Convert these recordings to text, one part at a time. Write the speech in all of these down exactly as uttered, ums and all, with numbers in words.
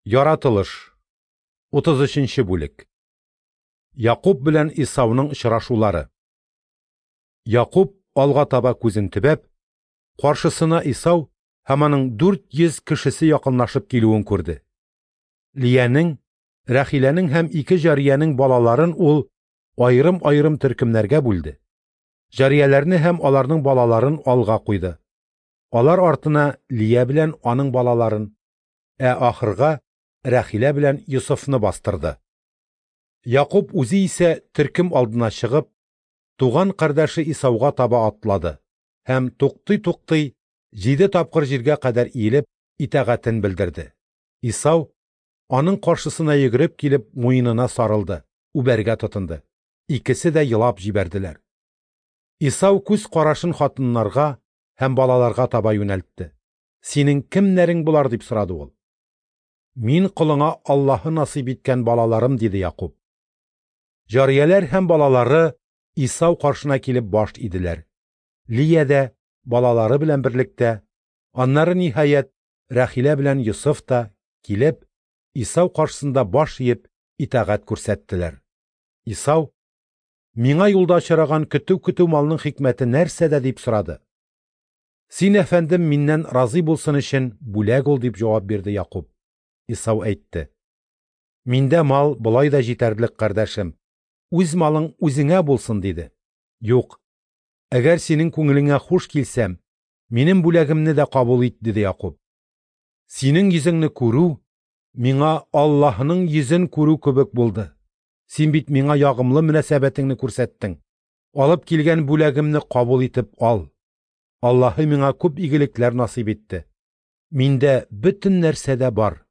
Яратылыш. утыз өченче бүлек. Якуб белән Исауның очрашулары. Якуб алга таба күзен төбәп, каршысына Исау һәм аның дүрт йөз кешесе якынлашып килүен күрде. Лиянең, Рәхиләнең һәм ике җариянең балаларын ул аерым-аерым төркемнәргә бүлде. Җарияләрне һәм аларның балаларын алга куйды. Алар артына Лия белән аның балаларын, ә ахырга Рәхилә белән Йосыфны бастырды. Якуб үзе исә төркем алдына чыгып, туган кардәше Исауга таба атлады һәм туктый-туктый җиде тапкыр җиргә кадәр иелеп итагатен белдерде. Исау аның каршысына йөгереп килеп муенына сарылды, үбәргә тотынды. Икесе дә елап җибәрделәр. Исау күз карашын хатыннарга һәм балаларга таба юнәлтте. «Синең кемнәрең болар?» дип сорады ул. «Мин колыңа Аллаһы насыйп иткән балаларым», диде Якуб. Җарияләр һәм балалары Исау каршына килеп баш иделәр. Лия дә балалары белән берлектә, аннары ниһаять Рәхилә белән Йосыф та килеп, Исау каршысында баш иеп итагать күрсәттеләр. Исау: «Миңа юлда очраган көтү-көтү малның хикмәте нәрсәдә?» дип сорады. «Син, әфәндем, миннән разый булсын өчен бүләк ул», дип җавап бирде Якуб. Исау әйтте: «Миндә мал болай да җитәрлек, кардәшем. Үз малың үзеңә булсын», диде. «Юк, әгәр синең күңелеңә хуш килсәм, минем бүләгемне дә кабул ит», диде Якуб. «Синең йөзеңне күрү миңа Аллаһының йөзен күрү кебек булды. Син бит миңа ягымлы мөнәсәбәтеңне күрсәттең. Алып килгән бүләгемне кабул итеп ал. Аллаһы миңа күп игелекләр насыйп итте. Миндә бөтен нәрсә дә бар».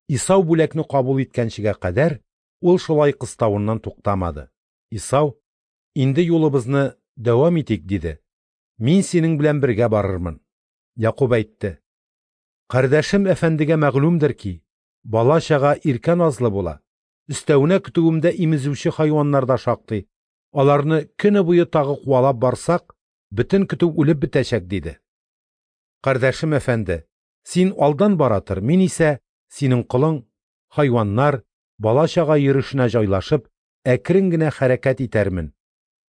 Исау бүләкне кабул иткәнчегә кадәр ул шулай кыставыннан туктамады. Исау: «Инде юлыбызны дәвам итик», диде. «Мин синең белән бергә барырмын». Якуб әйтте: «Кардәшем әфәндегә мәгълүмдер ки, бала-чага иркә назлы була. Өстәвенә көтүемдә имезүче хайваннар да шактый. Аларны көне буе тагы куалап барсак, бөтен көтү үлеп бетәчәк», диде. «Кардәшем әфәнде, син алдан бара тор, мин исә синең колың, хайваннар, бала-чага йөрешенә җайлашып, әкрен генә хәрәкәт итәрмен.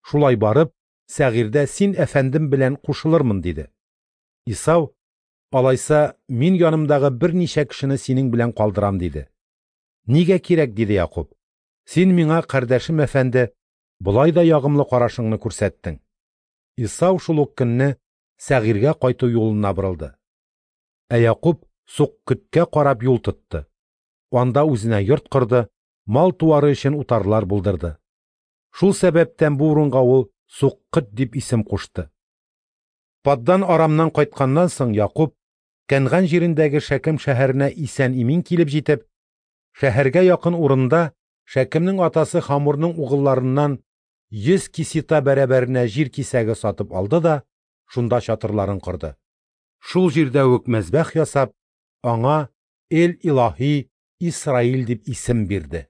Шулай барып, Сәгыйрдә син әфәндем белән кушылырмын», диде. Исау: «Алайса, мин янымдагы берничә кешене синең белән калдырам», диде. «Нигә кирәк?» диде Якуб. «Син миңа, кардәшем әфәнде, болай да ягымлы карашыңны күрсәттең». Исау шул ук көнне Сәгыйргә кайту юлына борылды. Ә Якуб Суккөткә карап юл тотты. Анда үзенә йорт корды, мал-туары өчен утарлар булдырды. Шул сәбәптән бу урынга ул Суккөт дип исем кушты. Паддан Арамнан кайтканнан соң Якуб Кәнган җирендәге Шәкем шәһәренә исән-имин килеп җитеп, шәһәргә якын урында Шәкемнең атасы Хамурның угылларыннан йөз кисета бәрабәренә җир кисәге сатып алды да шунда чатырларын корды. Шул җирдә үк мәзбәх ясап, аңа Эл-Илаһи Исраил дип исем бирде.